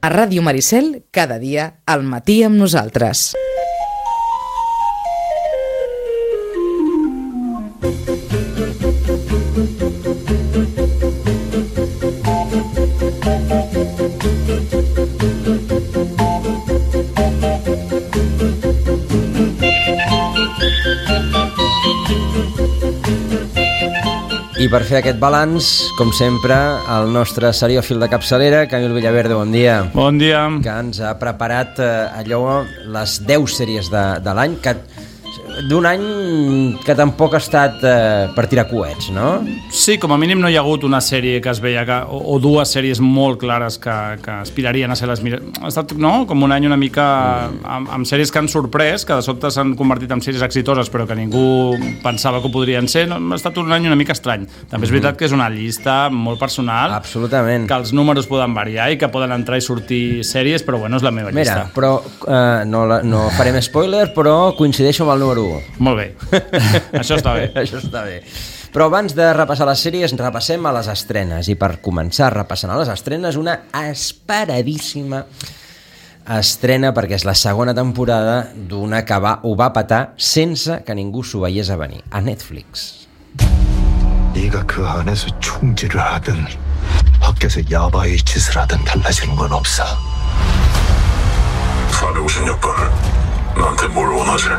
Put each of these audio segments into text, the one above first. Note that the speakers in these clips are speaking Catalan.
A Ràdio Maricel, cada dia, al matí amb nosaltres. I per fer aquest balanç, com sempre, el nostre seriòfil de capçalera, Camil Villaverde, bon dia. Bon dia. Que ens ha preparat les 10 sèries de l'any, d'un any que tampoc ha estat per tirar coets, no? Sí, com a mínim no hi ha hagut una sèrie que es veia o dues sèries molt clares que aspirarien a ser les millors. Ha estat, no?, com un any una mica amb sèries que han sorprès, que de sobte s'han convertit en sèries exitoses però que ningú pensava que ho podrien ser. No, ha estat un any una mica estrany. També és veritat que és una llista molt personal. Absolutament. Que els números poden variar i que poden entrar i sortir sèries, però bueno, és la meva llista. Mira, però no farem spoiler, però coincideixo amb el número 1. Molt bé. Això està bé. Això està bé. Però abans de repassar les sèries, repassem a les estrenes. I per començar repassant a les estrenes, una esperadíssima estrena, perquè és la segona temporada d'una que ho va petar sense que ningú s'ho veiés a venir, a Netflix. 네가 그 안에서 총질을 하든 밖에서 야바이 짓을 하든 달라지는 건 없어. 456번, 나한테 뭘 원하지?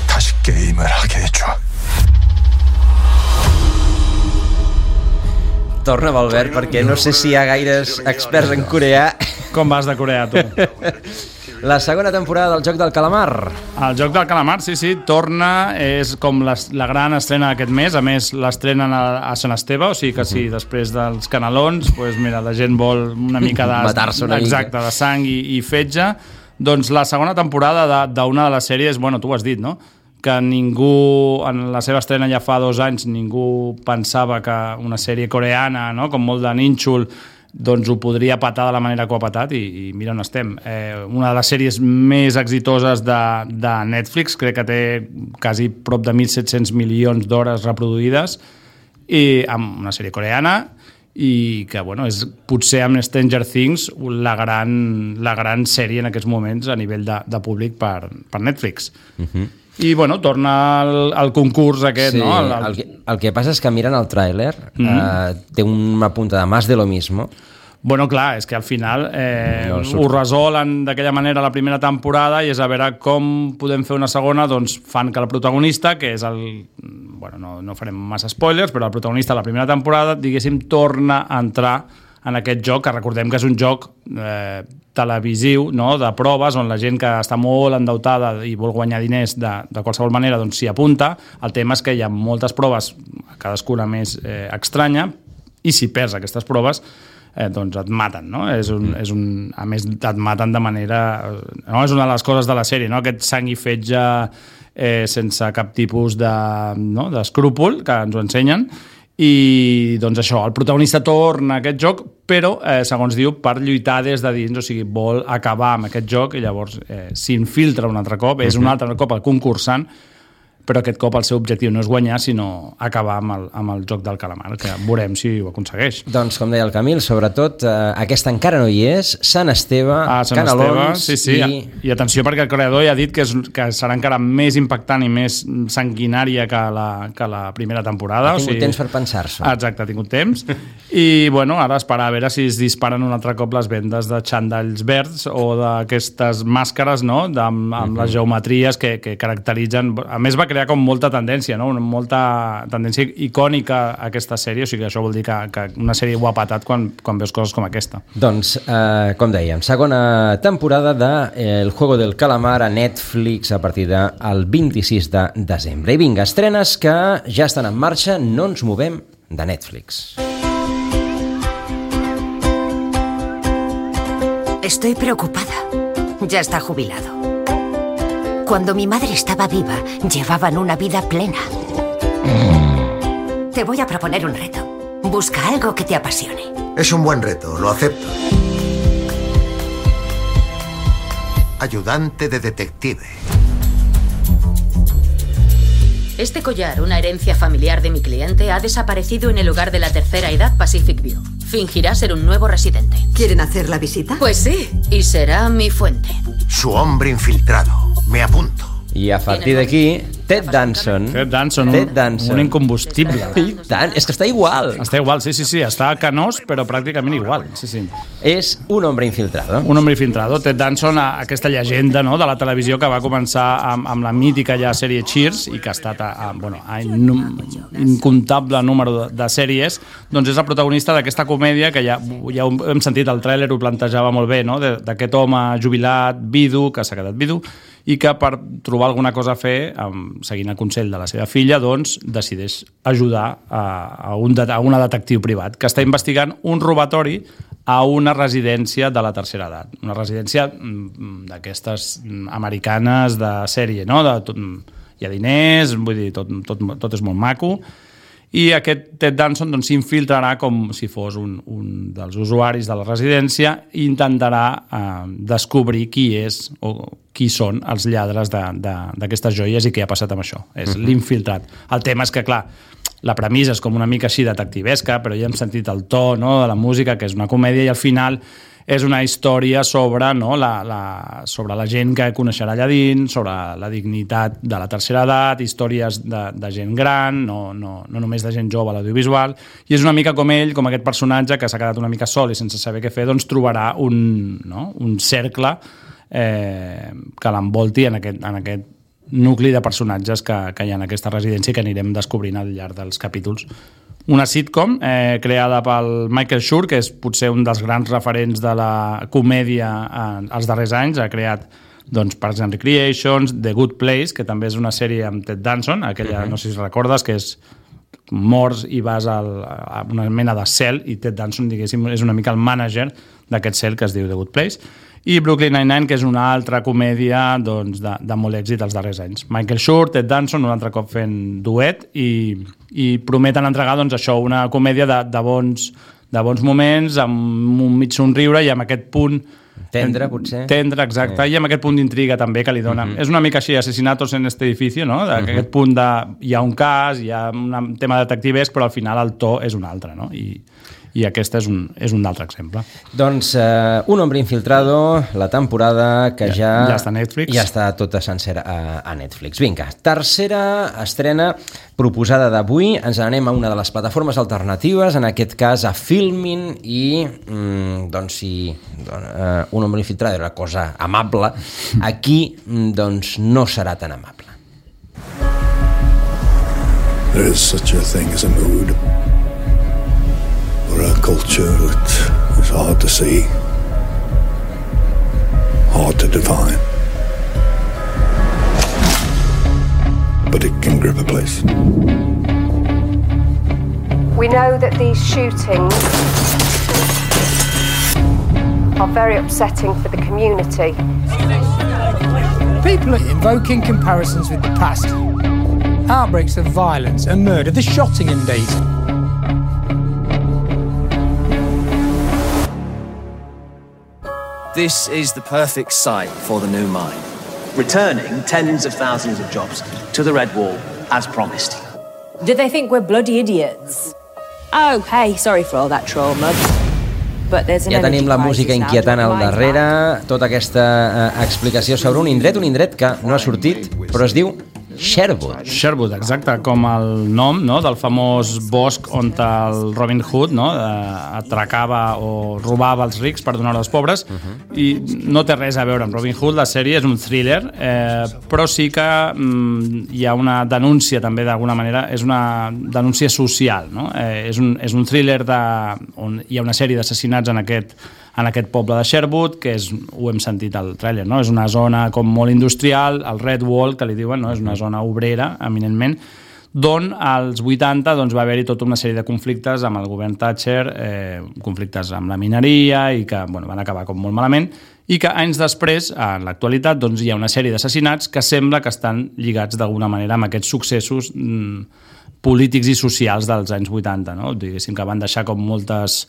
다시 게임을 하게 해줘. Torna, Albert, perquè no sé si hi ha gaires experts en coreà. Com vas de Corea, tu? La segona temporada del Joc del Calamar. El Joc del Calamar, sí, torna, és com la gran estrena d'aquest mes. A més, l'estrenen a Sant Esteve, o sigui que sí, després dels canelons, doncs mira, la gent vol una mica de... matar-se una mica. De sang i fetge. Doncs la segona temporada d'una de les sèries, bueno, tu ho has dit, no?, que ningú, en la seva estrena ja fa 2 anys, ningú pensava que una sèrie coreana, no?, com molt de nínxol, doncs ho podria patar de la manera que ho ha patat i mira on estem. Una de les sèries més exitoses de Netflix, crec que té quasi prop de 1.700 milions d'hores reproduïdes, i amb una sèrie coreana, i que, bueno, és potser amb Stranger Things la gran sèrie en aquests moments a nivell de públic per Netflix. I, bueno, torna al concurs aquest, sí, no? El que passa és que mirant el tràiler té una punta de más de lo mismo. Bueno, clar, és que al final ho resolen d'aquella manera la primera temporada i és a veure com podem fer una segona. Doncs fan que el protagonista, que és el... Bueno, no farem massa spoilers, però el protagonista de la primera temporada, diguéssim, torna a entrar en aquest joc, que recordem que és un joc televisiu, no?, de proves, on la gent que està molt endeutada i vol guanyar diners de qualsevol manera, doncs s'hi apunta. El tema és que hi ha moltes proves, cadascuna més estranya, i si perds aquestes proves, doncs et maten, no? A més, et maten de manera... No? És una de les coses de la sèrie, no?, aquest sang i fetge sense cap tipus d'escrúpol, que ens ho ensenyen. I doncs això, el protagonista torna a aquest joc, però, segons diu, per lluitar des de dins, o sigui, vol acabar amb aquest joc i llavors s'infiltra un altre cop, és un altre cop el concursant, però aquest cop el seu objectiu no és guanyar, sinó acabar amb el Joc del Calamar, que veurem si ho aconsegueix. Doncs, com deia el Camil, sobretot, aquesta encara no hi és, Sant Esteve, canelons... Sí. I atenció, perquè el creador ja ha dit que serà encara més impactant i més sanguinària que la primera temporada. Ha tingut temps per pensar-s'ho. Exacte, ha tingut temps. I, bueno, ara esperar a veure si es disparen un altre cop les vendes de xandalls verds o d'aquestes màscares, no?, amb les geometries que caracteritzen... A més, va crear com molta tendència, no?, molta tendència icònica a aquesta sèrie, o sigui que això vol dir que una sèrie ho ha patat quan veus coses com aquesta. Doncs, com dèiem, segona temporada de El Juego del Calamar a Netflix a partir del 26 de desembre. I vinga, estrenes que ja estan en marxa, no ens movem de Netflix. Estoy preocupada. Ya está jubilado. Cuando mi madre estaba viva, llevaban una vida plena. Te voy a proponer un reto. Busca algo que te apasione. Es un buen reto, lo acepto. Ayudante de detective. Este collar, una herencia familiar de mi cliente, ha desaparecido en el lugar de la tercera edad Pacific View. Fingirá ser un nuevo residente. ¿Quieren hacer la visita? Pues sí, y será mi fuente. Su hombre infiltrado. Me apunto. I a partir d'aquí, Ted Danson, un incombustible. I tant, és que està igual. Està igual, sí. Està canós, però pràcticament igual. Sí. És un hombre infiltrado. Un hombre infiltrado. Ted Danson, aquesta llegenda, no?, de la televisió que va començar amb la mítica ja sèrie Cheers i que ha estat a incomptable número de sèries, doncs és el protagonista d'aquesta comèdia que ja ho hem sentit, el tràiler ho plantejava molt bé, no?, d'aquest home jubilat, vidu, que s'ha quedat vidu, i que per trobar alguna cosa a fer, seguint el consell de la seva filla, doncs decideix ajudar a una detectiu privat que està investigant un robatori a una residència de la tercera edat. Una residència d'aquestes americanes de sèrie, no? Hi ha diners, vull dir, tot és molt maco. I aquest Ted Danson s'infiltrarà com si fos un dels usuaris de la residència i intentarà descobrir qui és o qui són els lladres d'aquestes joies i què ha passat amb això. És l'infiltrat. El tema és que, clar, la premissa és com una mica així detectivesca, però ja hem sentit el to, no?, de la música, que és una comèdia, i al final és una història sobre, no, sobre la gent que coneixerà allà dins, sobre la dignitat de la tercera edat, històries de gent gran, no només de gent jove a l'audiovisual, i és una mica com ell, com aquest personatge que s'ha quedat una mica sol i sense saber què fer, doncs trobarà un cercle que l'envolti en aquest nucli de personatges que hi ha en aquesta residència i que anirem descobrint al llarg dels capítols. Una sitcom creada pel Michael Schur, que és potser un dels grans referents de la comèdia als darrers anys. Ha creat Parks and Recreations, The Good Place, que també és una sèrie amb Ted Danson, aquella, no sé si recordes, que és morts i vas a una mena de cel, i Ted Danson, diguéssim, és una mica el mànager d'aquest cel que es diu The Good Place. I Brooklyn Nine-Nine, que és una altra comèdia de molt èxit els darrers anys. Michael Schur, Ted Danson, un altre cop fent duet, i prometen entregar això, una comèdia de bons moments, amb un mig somriure i amb aquest punt tendre, potser. Tendre, exacte, i amb aquest punt d'intriga també que li dona. És una mica així, asesinatos en este edificio, no? Aquest punt hi ha un cas, hi ha un tema detectivesc, però al final el to és un altre, no? I aquest és un altre exemple. Doncs Un hombre infiltrado, la temporada que ja està a Netflix. Ja està tota sencera a Netflix. Vinga, tercera estrena proposada d'avui. Ens anem a una de les plataformes alternatives, en aquest cas a Filmin, i doncs si Un hombre infiltrado era una cosa amable, aquí doncs no serà tan amable. There is such a thing as a mood, or a culture that is hard to see, hard to define, but it can grip a place. We know that these shootings are very upsetting for the community. People are invoking comparisons with the past. Outbreaks of violence and murder, the Shottingham days. This is the perfect site for the new mine, returning tens of thousands of jobs to the Red Wall, as promised. Do they think we're bloody idiots? Oh, hey, sorry for all that trauma. But there's an ja tenim la música inquietant al darrere, tota aquesta explicació sobre un indret que no ha sortit, però es diu Sherwood. Sherwood, exacte, com el nom, no?, del famós bosc on el Robin Hood, no?, atracava o robava els rics per donar-ho als pobres, i no té res a veure amb Robin Hood. La sèrie és un thriller, però sí que hi ha una denúncia també, d'alguna manera, és una denúncia social, no? És un thriller on hi ha una sèrie d'assassinats en aquest poble de Sherwood, que ho hem sentit al tràiler, no? És una zona com molt industrial, el Red Wall, que li diuen, no? És una zona obrera, eminentment, d'on als 80 va haver-hi tota una sèrie de conflictes amb el govern Thatcher, conflictes amb la mineria, i que van acabar com molt malament, i que anys després, en l'actualitat, hi ha una sèrie d'assassinats que sembla que estan lligats d'alguna manera amb aquests successos polítics i socials dels anys 80, no? Diguéssim que van deixar com moltes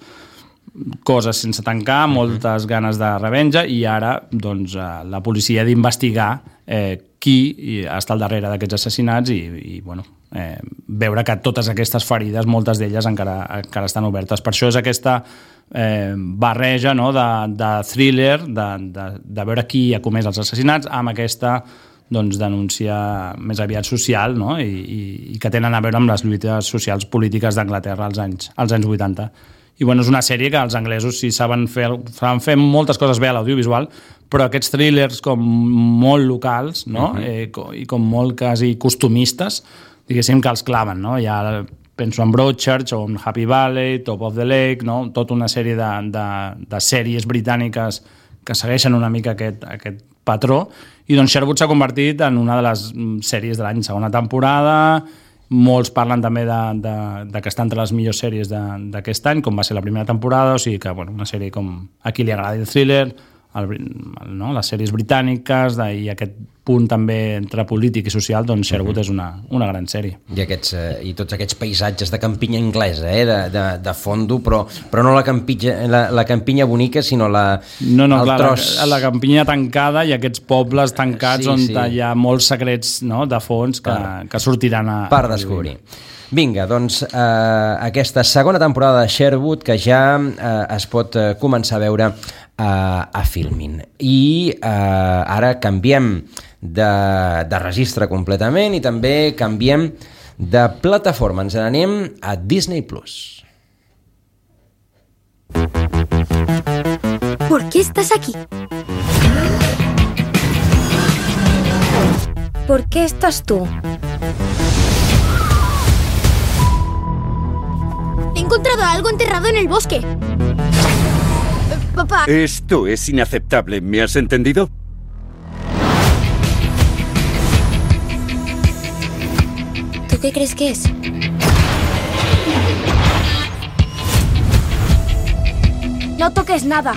coses sense tancar, moltes ganes de revenja, i ara doncs, la policia ha d'investigar qui està al darrere d'aquests assassinats i bueno, veure que totes aquestes ferides, moltes d'elles encara estan obertes. Per això és aquesta barreja, no?, de thriller, de veure qui ha comès els assassinats, amb aquesta doncs, denúncia més aviat social, no?, i que tenen a veure amb les lluites socials polítiques d'Anglaterra als anys 80. I bueno, és una sèrie que els anglesos sí saben fer moltes coses bé a l'audiovisual, però aquests thrillers com molt locals, no?, i com molt quasi costumistes, diguéssim que els claven, no? Ja penso en Broadchurch o en Happy Valley, Top of the Lake, no?, tota una sèrie de sèries britàniques que segueixen una mica aquest patró, i doncs Sherwood s'ha convertit en una de les sèries de l'any, segona temporada. Molts parlen també de que està entre les millors sèries d'aquest any, com va ser la primera temporada, o sigui que bueno, una sèrie com a qui li agrada el thriller, no? Les sèries britàniques i aquest punt també entre polític i social, doncs Sherwood és una gran sèrie. I tots aquests paisatges de campinya anglesa, de fondo, però no la campinya bonica, sinó el tros... La campinya tancada i aquests pobles tancats on hi ha molts secrets, no?, de fons que sortiran per descobrir. Vinga, doncs aquesta segona temporada de Sherwood que ja es pot començar a veure a Filmin. I ara canviem de registre completament i també canviem de plataforma. Ens n'anem a Disney+. ¿Por qué estás aquí? ¿Por qué estás tú? He encontrado algo enterrado en el bosque. Papá. Esto es inaceptable, ¿me has entendido? ¿Tú qué crees que es? No toques nada.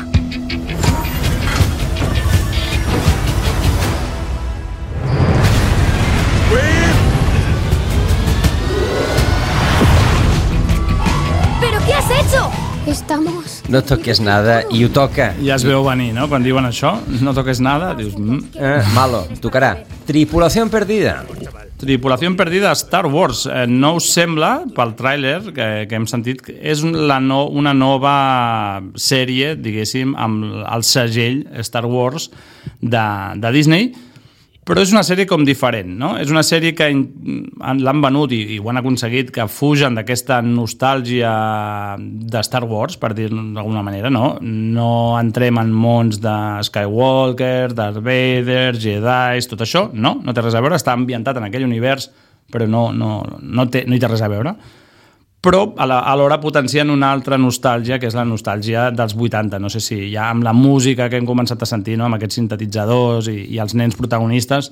¿Pero qué has hecho? Estamos... No toques nada, i ho toca. Ja es veu venir, no?, quan diuen això, no toques nada, dius... Malo, tocarà. Tripulació perdida. Tripulació perdida, Star Wars. No us sembla, pel tràiler que hem sentit, és una nova sèrie, diguéssim, amb el segell Star Wars de Disney, però és una sèrie com diferent, no? És una sèrie que l'han venut i ho han aconseguit, que fugen d'aquesta nostàlgia de Star Wars, per dir-ho d'alguna manera, no? No entrem en mons de Skywalker, Darth Vader, Jedi, tot això, no té res a veure, està ambientat en aquell univers, però no hi té res a veure. Però alhora potencien una altra nostàlgia, que és la nostàlgia dels 80. No sé si ja amb la música que hem començat a sentir, no?, amb aquests sintetitzadors i els nens protagonistes,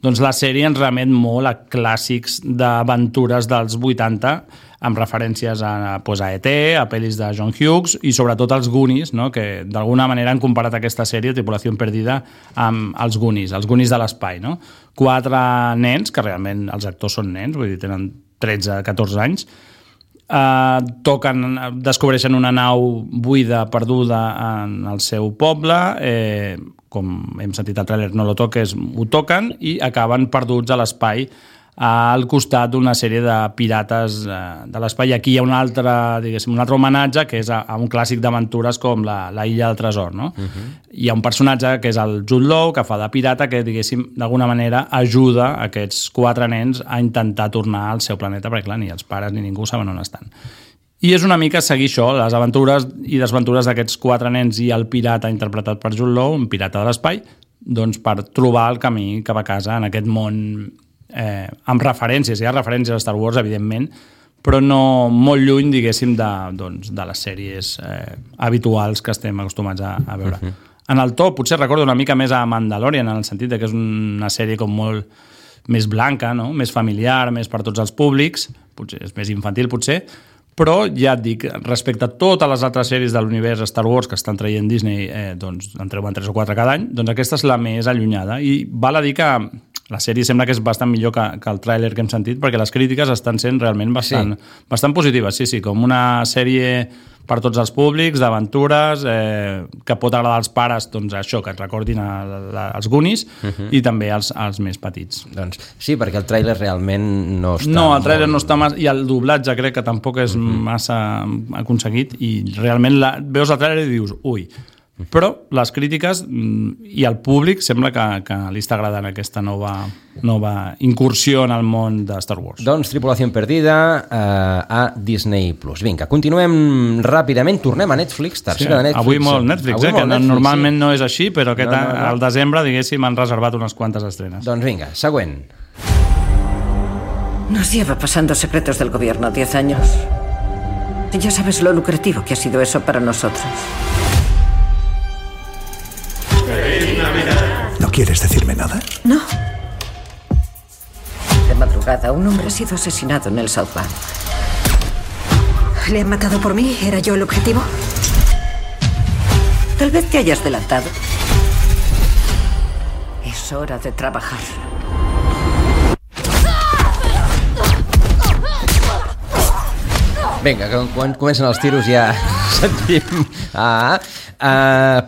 doncs la sèrie ens remet molt a clàssics d'aventures dels 80, amb referències a E.T., a pel·lis de John Hughes i sobretot als Goonies, no?, que d'alguna manera han comparat aquesta sèrie, Tripulació perdida, amb els Goonies de l'espai, no? 4 nens, que realment els actors són nens, vull dir, tenen 13-14 anys, descobreixen una nau buida, perduda en el seu poble, com hem sentit al tràiler, no lo toques, ho toquen i acaben perduts a l'espai al costat d'una sèrie de pirates de l'espai. Aquí hi ha un altre homenatge, que és a un clàssic d'aventures com la Illa del Tresor, no? Hi ha un personatge que és el Jude Law, que fa de pirata, que, diguéssim, d'alguna manera ajuda aquests 4 nens a intentar tornar al seu planeta, perquè, clar, ni els pares ni ningú saben on estan. I és una mica seguir això, les aventures i desventures d'aquests 4 nens i el pirata interpretat per Jude Law, un pirata de l'espai, doncs per trobar el camí cap a casa en aquest món amb referències. Hi ha referències a Star Wars, evidentment, però no molt lluny, diguéssim, de les sèries habituals que estem acostumats a veure. En el to, potser recordo una mica més a Mandalorian, en el sentit que és una sèrie com molt més blanca, no?, més familiar, més per tots els públics, potser és més infantil, potser, però ja et dic, respecte a totes les altres sèries de l'univers Star Wars que estan traient Disney, doncs en treuen 3 o 4 cada any, doncs aquesta és la més allunyada. I val a dir que la sèrie sembla que és bastant millor que el tràiler que hem sentit, perquè les crítiques estan sent realment bastant positives, sí, com una sèrie per tots els públics, d'aventures, que pot agradar als pares, doncs això, que et recordin els Goonies, i també als més petits. Doncs sí, perquè el tràiler realment no està... No, el tràiler no està massa... I el doblatge crec que tampoc és massa aconseguit, i realment veus el tràiler i dius, ui... Però les crítiques i el públic sembla que li està agradant aquesta nova incursió en el món de Star Wars. Doncs Tripulació Perdida a Disney+. Vinga, continuem ràpidament, tornem a Netflix, tercera de Netflix. Avui molt Netflix, que normalment no és així, però al desembre, diguéssim, han reservat unes quantes estrenes. Doncs vinga, següent. Nos lleva pasando secretos del gobierno 10 años. Ya sabes lo lucrativo que ha sido eso para nosotros. ¿No quieres decirme nada? No. De madrugada, un hombre ha sido asesinado en el South Bank. ¿Le han matado por mí? ¿Era yo el objetivo? Tal vez te hayas adelantado. Es hora de trabajar. Vinga, quan comencen els tiros ja sentim...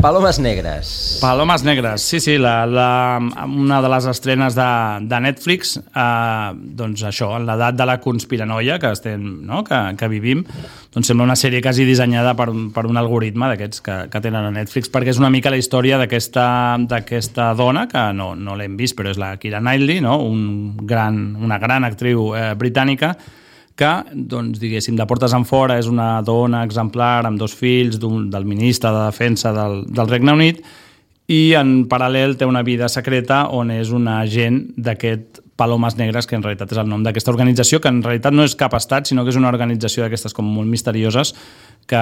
Palomes Negres. Palomes Negres, sí, una de les estrenes de Netflix, doncs això, en l'edat de la conspiranoia que vivim, doncs sembla una sèrie quasi dissenyada per un algoritme d'aquests que tenen a Netflix, perquè és una mica la història d'aquesta dona, que no l'hem vist, però és la Keira Knightley, no? Una gran actriu britànica, que, doncs, diguéssim, de portes enfora és una dona exemplar amb 2 fills del ministre de Defensa del Regne Unit, i en paral·lel té una vida secreta on és un agent d'aquest Palomes Negres, que en realitat és el nom d'aquesta organització, que en realitat no és cap estat, sinó que és una organització d'aquestes com molt misterioses que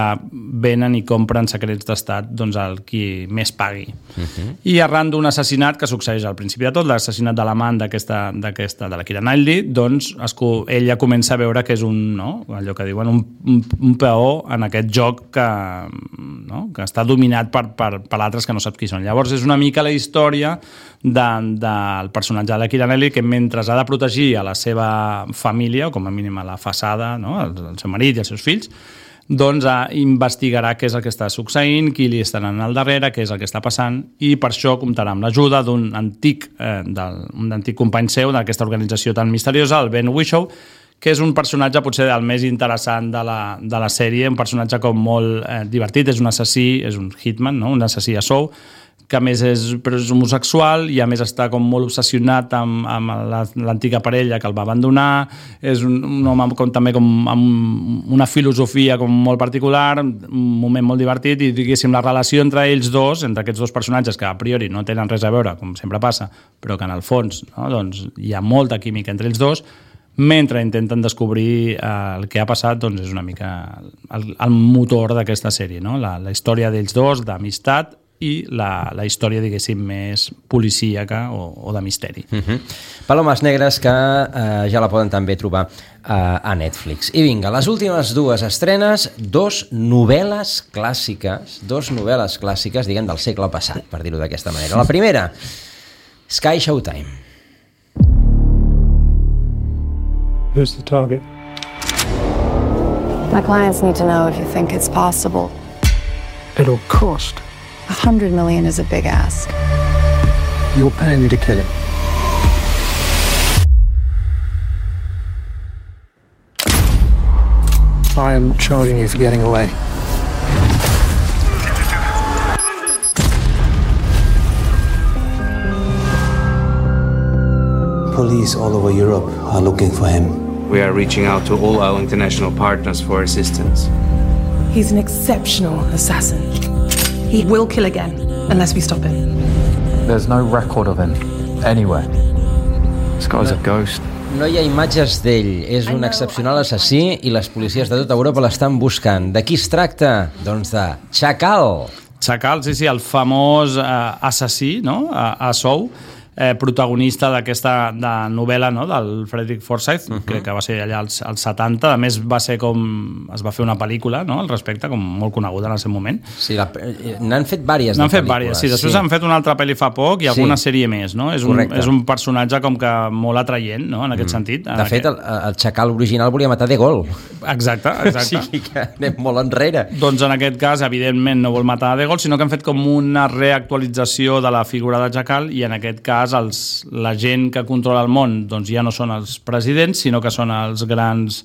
venen i compren secrets d'estat, doncs, el qui més pagui. I arran d'un assassinat que succeeix al principi de tot, l'assassinat de l'amant de la Keira Knightley, doncs ella comença a veure que és allò que diuen un peó en aquest joc que està dominat per altres que no saps qui són. Llavors és una mica la història del personatge de la Keira Knightley, que mentre ha de protegir a la seva família, o com a mínim a la façada, el seu marit i els seus fills, doncs investigarà què és el que està succeint, qui li està anant al darrere, què és el que està passant, i per això comptarà amb l'ajuda d'un antic company seu d'aquesta organització tan misteriosa, el Ben Whishaw, que és un personatge potser el més interessant de la sèrie, un personatge com molt divertit, és un assassí, és un hitman, un assassí a sou, que a més és homosexual i a més està com molt obsessionat amb l'antiga parella que el va abandonar, és un home també amb una filosofia com molt particular, un moment molt divertit, i diguéssim la relació entre ells dos, entre aquests dos personatges que a priori no tenen res a veure, com sempre passa, però que en el fons doncs, hi ha molta química entre ells dos, mentre intenten descobrir el que ha passat, doncs és una mica el motor d'aquesta sèrie, la història d'ells dos, d'amistat, i la història, diguéssim, més policíaca o de misteri. Palomes Negres, que ja la poden també trobar a Netflix. I vinga, les últimes 2 estrenes, 2 novel·les clàssiques, diguem, del segle passat, per dir-ho d'aquesta manera. La primera, Sky Showtime. Who's the target? My clients need to know if you think it's possible. It'll cost. $100 million is a big ask. You're paying me to kill him. I am charging you for getting away. Police all over Europe are looking for him. We are reaching out to all our international partners for assistance. He's an exceptional assassin. He will kill again, unless we stop him. There's no record of him, anywhere. This guy's a ghost. No hi ha imatges d'ell, és un excepcional assassí i les policies de tota Europa l'estan buscant. De qui es tracta? Doncs de Chacal. Chacal, sí, el famós assassí, a sou, protagonista d'aquesta novel·la, no?, del Frederick Forsyth, crec que va ser allà als 70. A més, va ser es va fer una pel·lícula, no?, al respecte, com molt coneguda en el seu moment. Sí, n'han fet diverses. N'han fet diverses, sí. Després han fet una altra pel·li fa poc i alguna sèrie més, no? És un personatge com que molt atraient, no?, en aquest sentit. De fet, el xacal original volia matar de Gaulle. Exacte. O sigui que anem molt enrere. Doncs en aquest cas, evidentment, no vol matar de Gaulle, sinó que han fet com una reactualització de la figura de xacal i en aquest cas la gent que controla el món doncs ja no són els presidents, sinó que són els grans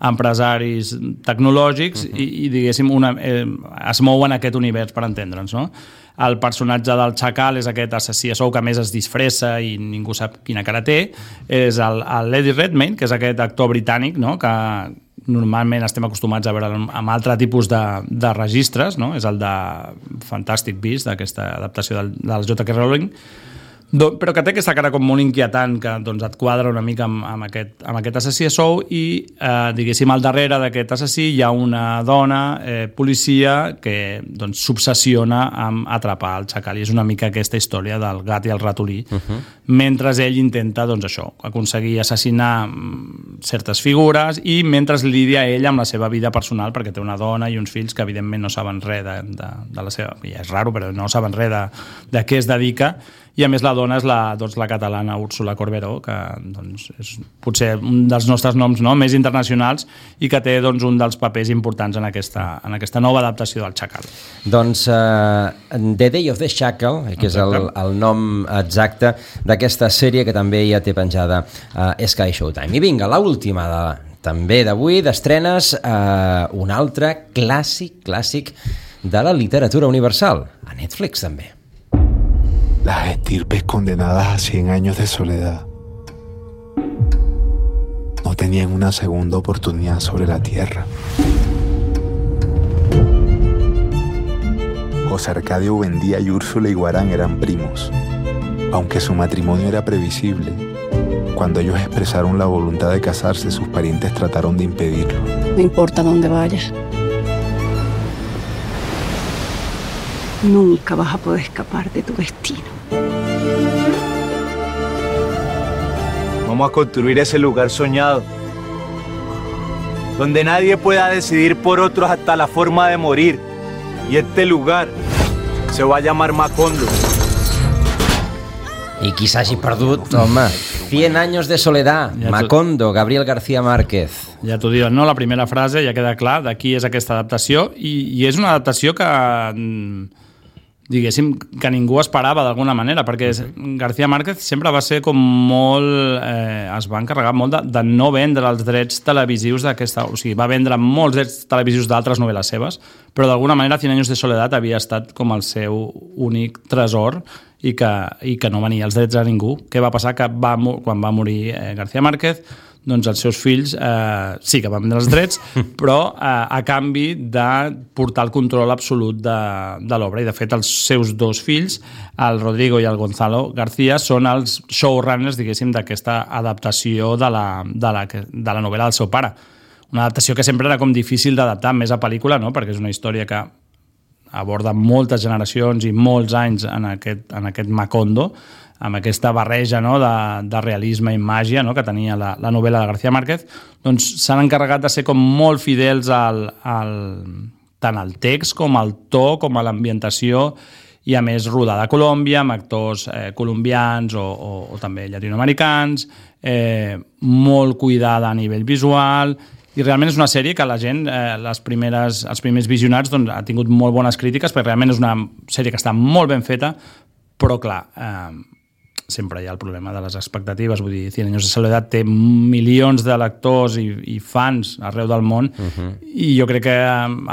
empresaris tecnològics i diguéssim, es mouen en aquest univers, per entendre'ns, no? El personatge del xacal és aquest assassí a sou que a més es disfressa i ningú sap quina cara té, és l'Eddie Redmayne, que és aquest actor britànic, no?, que normalment estem acostumats a veure amb altre tipus de registres, no? És el de Fantastic Beasts, d'aquesta adaptació del J.K. Rowling, però que té aquesta cara com molt inquietant que doncs, et quadra una mica amb aquest assassí a sou i diguéssim al darrere d'aquest assassí hi ha una dona policia que doncs, s'obsessiona amb atrapar el xacal i és una mica aquesta història del gat i el ratolí mentre ell intenta doncs, això, aconseguir assassinar certes figures i mentre lidia ell amb la seva vida personal perquè té una dona i uns fills que evidentment no saben res de la seva... ja és raro però no saben res de què es dedica i a més la dona és la catalana Úrsula Corberó, que doncs, és potser un dels nostres noms més internacionals i que té doncs, un dels papers importants en aquesta nova adaptació del Xacal. Doncs The Day of the Chacal, que és el nom exacte d'aquesta sèrie que també ja té penjada a Sky Showtime. I vinga, l'última també d'avui, d'estrenes, un altre clàssic de la literatura universal, a Netflix també. Las estirpes condenadas a 100 años de soledad no tenían una segunda oportunidad sobre la tierra. José Arcadio Buendía y Úrsula Iguarán eran primos, aunque su matrimonio era previsible. Cuando ellos expresaron la voluntad de casarse, sus parientes trataron de impedirlo. No importa dónde vayas. Nunca vas a poder escapar de tu destino. Vamos a construir ese lugar soñado, donde nadie pueda decidir por otros hasta la forma de morir. Y este lugar se va a llamar Macondo. I qui s'hagi perdut, home, 100 años de soledad, Macondo, Gabriel García Márquez. Ja t'ho diuen, no? La primera frase ja queda clar de qui és aquesta adaptació i és una adaptació que diguéssim que ningú esperava d'alguna manera, perquè García Márquez sempre va ser com molt... es va encarregar molt de no vendre els drets televisius d'aquesta... O sigui, va vendre molts drets televisius d'altres novel·les seves, però d'alguna manera 100 años de soledad havia estat com el seu únic tresor i que no venia els drets a ningú. Què va passar? Que quan va morir García Márquez, doncs els seus fills sí que van vendre els drets, però a canvi de portar el control absolut de l'obra. I de fet els seus dos fills, el Rodrigo i el Gonzalo García, són els showrunners, diguéssim, d'aquesta adaptació de la novel·la del seu pare. Una adaptació que sempre era com difícil d'adaptar més a pel·lícula, no? Perquè és una història que aborda moltes generacions i molts anys en aquest Macondo, amb aquesta barreja, no, de realisme i màgia, no, que tenia la novel·la de García Márquez, doncs s'han encarregat de ser com molt fidels tant al text com al to, com a l'ambientació, i a més rodada a Colòmbia, amb actors colombians o també llatinoamericans, molt cuidada a nivell visual, i realment és una sèrie que la gent, els primers visionats, doncs, ha tingut molt bones crítiques, perquè realment és una sèrie que està molt ben feta, però clar, sempre hi ha el problema de les expectatives, vull dir, 100 años de soledad té milions de lectors i fans arreu del món, i jo crec que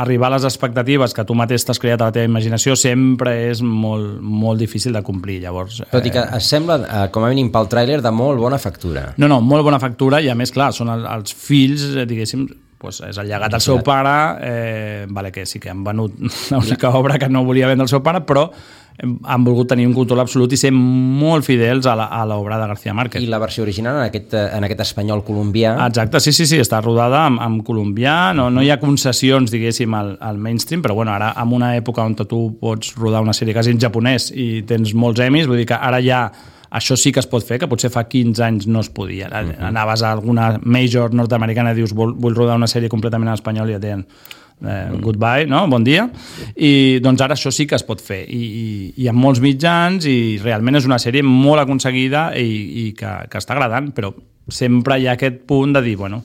arribar a les expectatives que tu mateix t'has creat a la teva imaginació sempre és molt, molt difícil de complir, llavors... Tot i que es sembla, com a mínim pel tràiler, de molt bona factura. No, molt bona factura, i a més, clar, són els fills, diguéssim, és el llegat del seu pare, que sí que han venut l'única obra que no volia vendre el seu pare, però han volgut tenir un control absolut i ser molt fidels a l'obra de García Márquez. I la versió original en aquest espanyol colombià? Exacte, sí, està rodada en colombià, no hi ha concessions, diguéssim, al mainstream, però bueno, ara en una època on tu pots rodar una sèrie quasi en japonès i tens molts emis, vull dir que ara ja això sí que es pot fer, que potser fa 15 anys no es podia. Anaves a alguna major nord-americana i dius vull rodar una sèrie completament en espanyol i et deien goodbye, no? Bon dia. I doncs ara això sí que es pot fer. I amb molts mitjans i realment és una sèrie molt aconseguida i que està agradant, però sempre hi ha aquest punt de dir, bueno,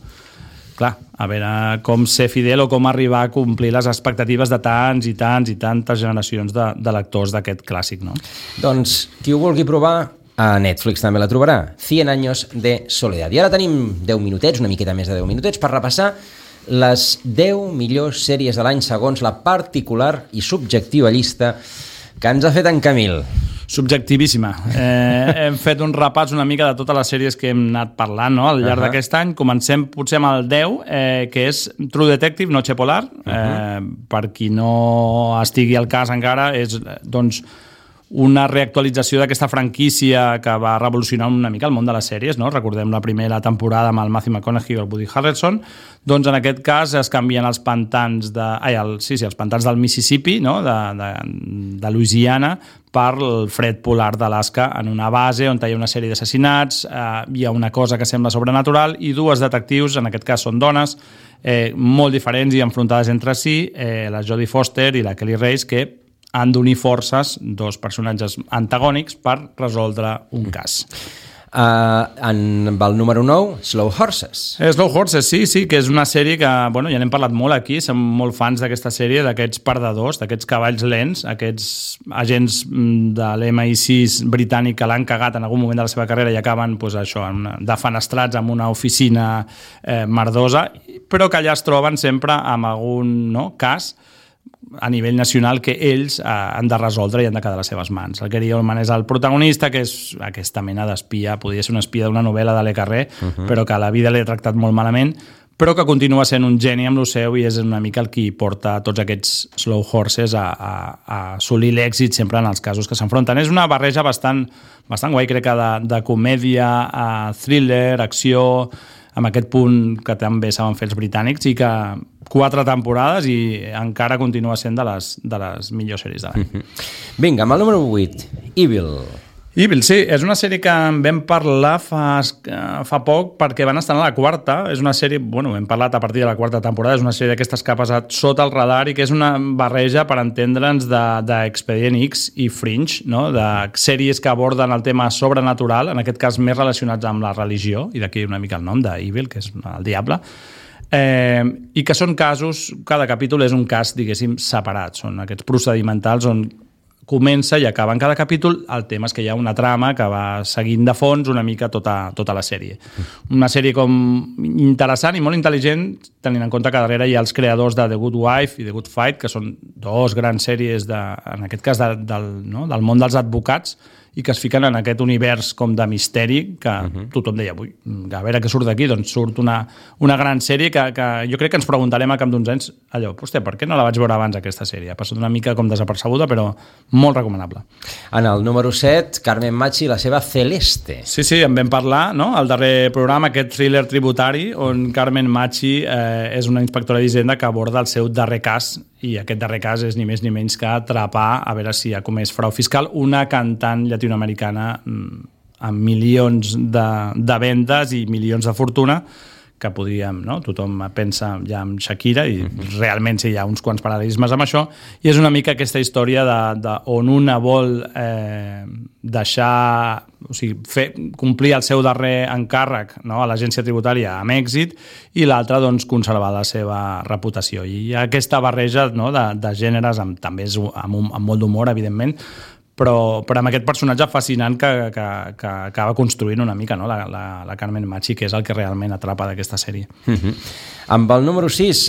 clar, a veure com ser fidel o com arribar a complir les expectatives de tants i tantes generacions de lectors d'aquest clàssic, no? Doncs qui ho vulgui provar, a Netflix també la trobarà. 100 años de soledad. I ara tenim 10 minutets, una miqueta més de 10 minutets, per repassar les 10 millors sèries de l'any segons la particular i subjectiva llista que ens ha fet en Camil. Subjectivíssima. Hem fet un repàs una mica de totes les sèries que hem anat parlant, no? Al llarg d'aquest any. Comencem potser amb el 10, que és True Detective, Noche Polar. Per qui no estigui al cas encara, és doncs una reactualització d'aquesta franquícia que va revolucionar una mica el món de les sèries, no? Recordem la primera temporada amb el Matthew McConaughey i el Woody Harrelson. Doncs en aquest cas es canvien els pantans els pantans del Mississippi, no? de Louisiana, per el fred polar d'Alaska, en una base on hi ha una sèrie d'assassinats, hi ha una cosa que sembla sobrenatural i dues detectius, en aquest cas són dones, molt diferents i enfrontades entre si, la Jodie Foster i la Kelly Reis, que han d'unir forces, dos personatges antagònics, per resoldre un cas. Amb el número 9, Slow Horses. Slow Horses, sí, que és una sèrie que, bueno, ja n'hem parlat molt aquí, som molt fans d'aquesta sèrie, d'aquests perdedors, d'aquests cavalls lents, aquests agents de l'MI6 britànic que l'han cagat en algun moment de la seva carrera i acaben defenestrats en una oficina merdosa, però que allà es troben sempre amb algun cas a nivell nacional que ells han de resoldre i han de quedar a les seves mans. El Gary Oldman és el protagonista, que és aquesta mena d'espia, podria ser una espia d'una novel·la de Le Carré, però que a la vida l'he tractat molt malament, però que continua sent un geni amb lo seu i és una mica el qui porta tots aquests Slow Horses a assolir l'èxit sempre en els casos que s'enfronten. És una barreja bastant guai, crec que de comèdia, thriller, acció, amb aquest punt que també saben fer els britànics i que 4 temporades i encara continua sent de les millors sèries de l'any. Vinga, amb el número 8, Evil, sí, és una sèrie que en vam parlar fa poc perquè van estar a la 4. És una sèrie, bueno, hem parlat a partir de la 4ª temporada, és una sèrie d'aquestes que ha passat sota el radar i que és una barreja, per entendre'ns, d'Expedient X i Fringe, no? De sèries que aborden el tema sobrenatural, en aquest cas més relacionats amb la religió, i d'aquí una mica el nom d'Evil, que és el diable, i que són casos, cada capítol és un cas, diguéssim, separat, són aquests procedimentals on comença i acaba en cada capítol. El tema és que hi ha una trama que va seguint de fons una mica tota la sèrie. Una sèrie com interessant i molt intel·ligent, tenint en compte que darrere hi ha els creadors de The Good Wife i The Good Fight, que són dos grans sèries, en aquest cas del món dels advocats, i que es fiquen en aquest univers com de misteri que tothom deia, a veure què surt d'aquí, doncs surt una gran sèrie que jo crec que ens preguntarem a cap d'uns anys allò, hòstia, per què no la vaig veure abans aquesta sèrie? Ha passat una mica com desapercebuda, però molt recomanable. En el número 7, Carmen Machi i la seva Celeste. Sí, en vam parlar, no? Al darrer programa, aquest thriller tributari, on Carmen Machi és una inspectora d'Hisenda que aborda el seu darrer cas, i aquest darrer cas és ni més ni menys que atrapar, a veure si ha comès frau fiscal, una cantant llatinoamericana amb milions de vendes i milions de fortuna, que podríem, no? Tothom pensa ja en Shakira i realment sí, hi ha uns quants paral·lelismes amb això, i és una mica aquesta història on una vol deixar, o sigui, complir el seu darrer encàrrec, no? A l'agència tributària amb èxit, i l'altra doncs conservar la seva reputació. I hi ha aquesta barreja, no? de gèneres, també amb molt d'humor, evidentment, però amb aquest personatge fascinant que acaba construint una mica, no? la Carmen Machi, que és el que realment atrapa d'aquesta sèrie. Amb el número 6,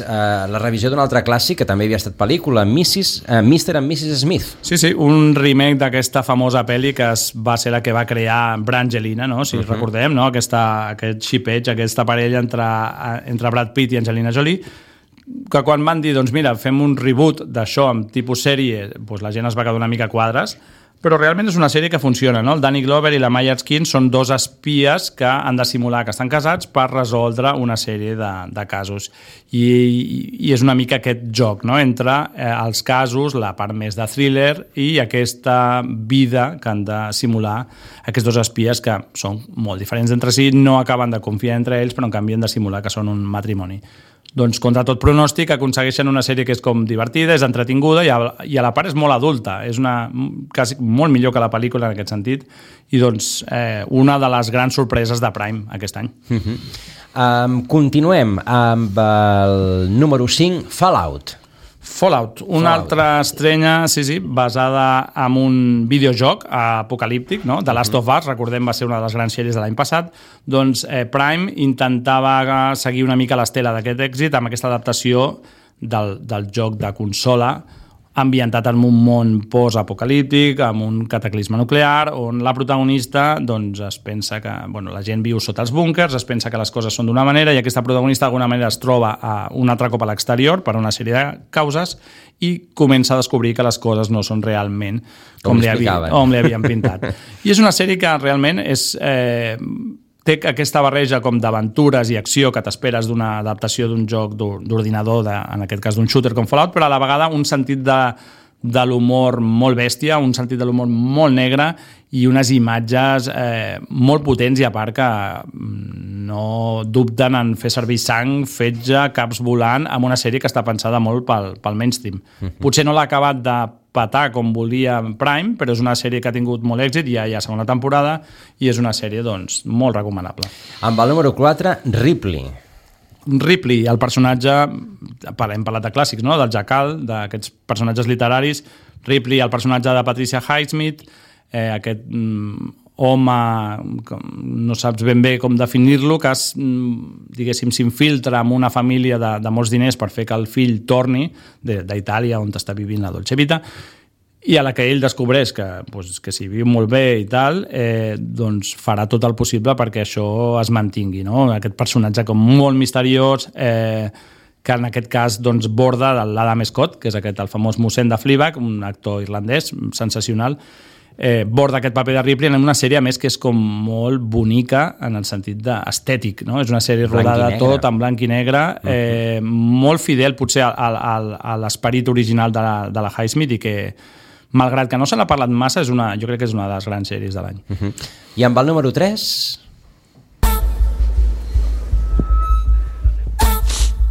la revisió d'un altre clàssic que també havia estat pel·lícula, Mr. and Mrs. Smith. Sí, un remake d'aquesta famosa pel·li que va ser la que va crear Brangelina, no? Si recordem, no? Aquest xipeig, aquesta parella entre Brad Pitt i Angelina Jolie, que quan van dir, doncs mira, fem un reboot d'això amb tipus sèrie, doncs la gent es va quedar una mica a quadres. però realment és una sèrie que funciona, no? El Danny Glover i la Maya Erskine són dos espies que han de simular que estan casats per resoldre una sèrie de casos. I és una mica aquest joc, no? Entre els casos, la part més de thriller i aquesta vida que han de simular aquests dos espies que són molt diferents entre si, no acaben de confiar entre ells, però en canvi han de simular que són un matrimoni. Doncs contra tot pronòstic aconsegueixen una sèrie que és com divertida, és entretinguda i a la part és molt adulta, és quasi molt millor que la pel·lícula en aquest sentit, i doncs una de les grans sorpreses de Prime aquest any. Continuem amb el número 5, Fallout. Fallout, una altra estrenya, sí, basada en un videojoc apocalíptic, no? The Last of Us, recordem, va ser una de les grans sèries de l'any passat. Doncs Prime intentava seguir una mica l'estela d'aquest èxit amb aquesta adaptació del joc de consola ambientat en un món post-apocalíptic, amb un cataclisme nuclear, on la protagonista doncs, es pensa que la gent viu sota els búnkers, es pensa que les coses són d'una manera i aquesta protagonista d'alguna manera es troba un altre cop a l'exterior per una sèrie de causes i comença a descobrir que les coses no són realment com li havien pintat. I és una sèrie que realment té aquesta barreja com d'aventures i acció que t'esperes d'una adaptació d'un joc d'ordinador, en aquest cas d'un shooter com Fallout, però a la vegada un sentit de l'humor molt bèstia, un sentit de l'humor molt negre i unes imatges molt potents i a part que no dubten en fer servir sang, fetge, caps volant amb una sèrie que està pensada molt pel mainstream. Potser no l'ha acabat de petar com volia Prime, però és una sèrie que ha tingut molt èxit, ja hi ha segona temporada i és una sèrie doncs, molt recomanable. Amb el número 4, Ripley, el personatge, hem parlat de clàssics, no? Del Jackal, d'aquests personatges literaris. Ripley, el personatge de Patricia Highsmith, aquest home, no saps ben bé com definir-lo, que diguéssim s'infiltra en una família de molts diners per fer que el fill torni d'Itàlia, on està vivint la Dolce Vita, i a la que ell descobreix que si viu molt bé i tal, doncs farà tot el possible perquè això es mantingui, no? Aquest personatge com molt misteriós, que en aquest cas doncs, borda de l'Adam Scott, que és el famós mossèn de Fleabag, un actor irlandès sensacional, borda aquest paper de Ripley en una sèrie, a més, que és com molt bonica en el sentit estètic, no? És una sèrie rodada tot en blanc i negre, molt fidel potser a l'esperit original de la Highsmith i que, malgrat que no se n'ha parlat massa, jo crec que és una de les grans sèries de l'any. I amb el número 3...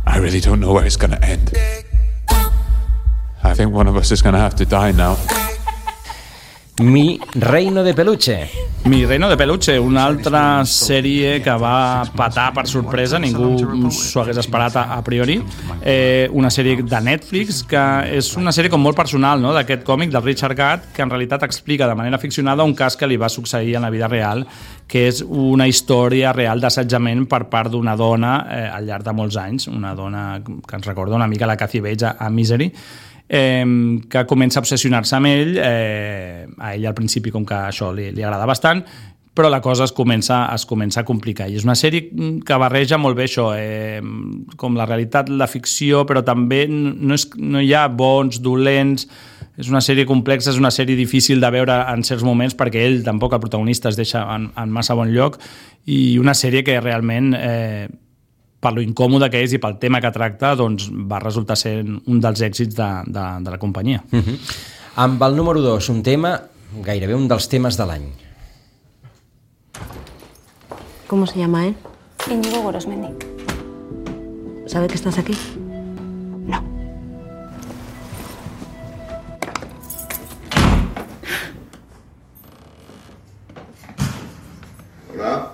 I really don't know where it's going to end. I think one of us is going to have to die now. Mi Reino de Peluche. Mi Reino de Peluche, una altra sèrie que va petar per sorpresa, ningú s'ho hagués esperat a priori. Una sèrie de Netflix que és una sèrie com molt personal, no? D'aquest còmic del Richard Gadd, que en realitat explica de manera ficcionada un cas que li va succeir en la vida real, que és una història real d'assetjament per part d'una dona al llarg de molts anys, una dona que ens recorda una mica la Kathy Bates a Misery, que comença a obsessionar-se amb ell, a ell al principi com que això li agrada bastant, però la cosa es comença a complicar. I és una sèrie que barreja molt bé això, com la realitat, la ficció, però també no hi ha bons, dolents, és una sèrie complexa, és una sèrie difícil de veure en certs moments perquè ell tampoc, el protagonista, es deixa en massa bon lloc, i una sèrie que realment... per lo incòmode que és i pel tema que tracta, doncs va resultar ser un dels èxits de la companyia. Amb el número 2, un tema, gairebé un dels temes de l'any. ¿Cómo se llama él? Íñigo Gorosmendi. ¿Sabe que estás aquí? No. Hola.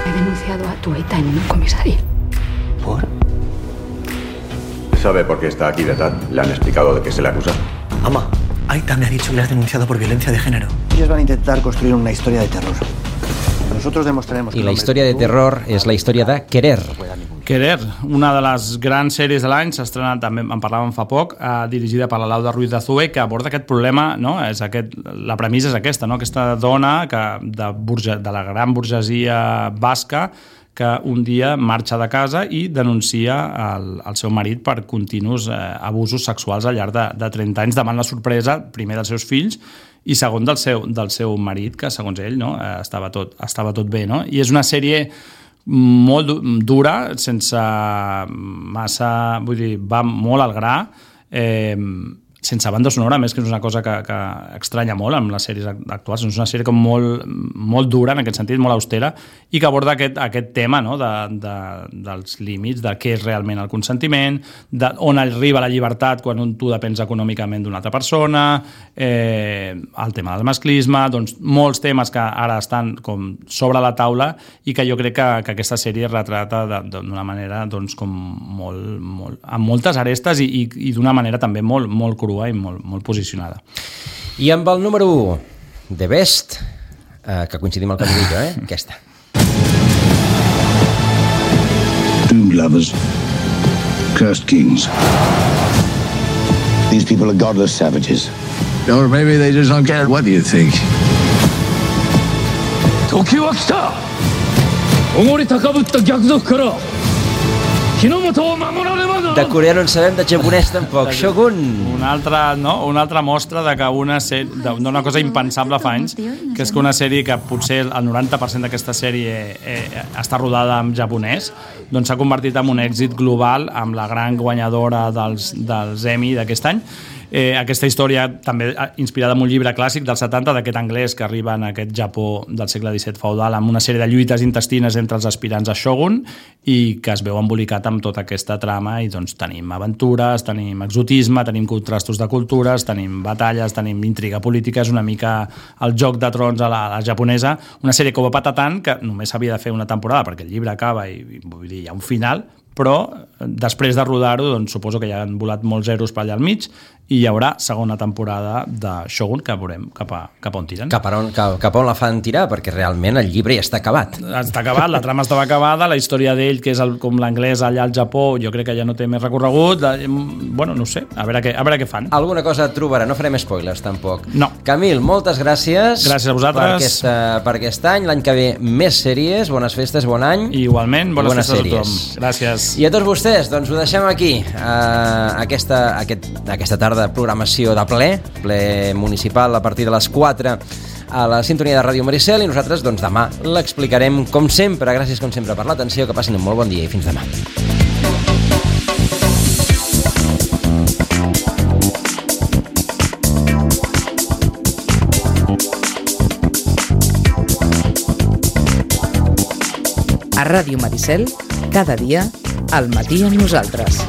He denunciado a tu Aita en un comisario. ¿Por? ¿Sabe por qué está aquí de tal? ¿Le han explicado de qué se le acusa? Mamá, Aita me ha dicho que le has denunciado por violencia de género. Ellos van a intentar construir una historia de terror. Nosotros demostraremos que... I la història de terror és la història de Querer. Querer, una de les grans sèries de l'any, s'ha estrenat, també en parlàvem fa poc, dirigida per la Laura Ruiz de Azúe, que aborda aquest problema, no? La premissa és aquesta, no? Aquesta dona de la gran burgesia basca que un dia marxa de casa i denuncia el seu marit per continus abusos sexuals al llarg de 30 anys, davant la sorpresa, primer dels seus fills i segon del seu marit, que segons ell estava tot bé. No? I és una sèrie molt dura, sense massa... Vull dir, va molt al gra, sense banda sonora, a més que és una cosa que estranya molt amb les sèries actuals. És una sèrie com molt dura, en aquest sentit, molt austera, i que aborda aquest tema dels límits, de què és realment el consentiment, on arriba la llibertat quan tu depens econòmicament d'una altra persona, el tema del masclisme, doncs molts temes que ara estan com sobre la taula i que jo crec que aquesta sèrie retrata d'una manera doncs, com molt, amb moltes arestes i d'una manera també molt crua i molt posicionada. I amb el número 1, The Best, que coincidim al Camillo, aquesta. Doomed lovers, cursed kings. These people are godless savages. Or maybe they just don't care. What do you think? 時は来た。おり高ぶった逆賊から日の本を守らねばならん。De coreà no en sabem, de japonès tampoc. Shogun! Una altra mostra d'una cosa impensable fa anys, que és que una sèrie que potser el 90% d'aquesta sèrie està rodada en japonès, doncs s'ha convertit en un èxit global amb la gran guanyadora dels Emmy d'aquest any. Aquesta història també inspirada en un llibre clàssic dels 70 d'aquest anglès que arriba en aquest Japó del segle XVII feudal amb una sèrie de lluites intestines entre els aspirants a Shogun i que es veu embolicat amb tota aquesta trama i doncs tenim aventures, tenim exotisme, tenim contrastos de cultures, tenim batalles, tenim intriga política, és una mica el Joc de Trons a la japonesa, una sèrie que ho va patar tant que només s'havia de fer una temporada perquè el llibre acaba i vull dir, hi ha un final, però després de rodar-ho doncs, suposo que ja han volat molts zeros per allà al mig i hi haurà segona temporada de Shogun que veurem cap a on tiren. Cap a on la fan tirar, perquè realment el llibre ja està acabat. Està acabat, la trama estava acabada, la història d'ell, que és com l'anglès allà al Japó, jo crec que ja no té més recorregut. Bueno, no ho sé, a veure què fan. Alguna cosa et trobarà, no farem spoilers tampoc. No. Camil, moltes gràcies. Gràcies a vosaltres. Per aquest any, l'any que ve més sèries, bones festes, bon any. Igualment, bones festes a tothom. Gràcies. I a tots vostès, doncs ho deixem aquí, aquesta tarda de programació de ple municipal a partir de les 4 a la sintonia de Ràdio Maricel i nosaltres doncs demà l'explicarem com sempre. Gràcies com sempre per l'atenció, que passin un molt bon dia i fins demà. A Ràdio Maricel, cada dia, al matí amb nosaltres.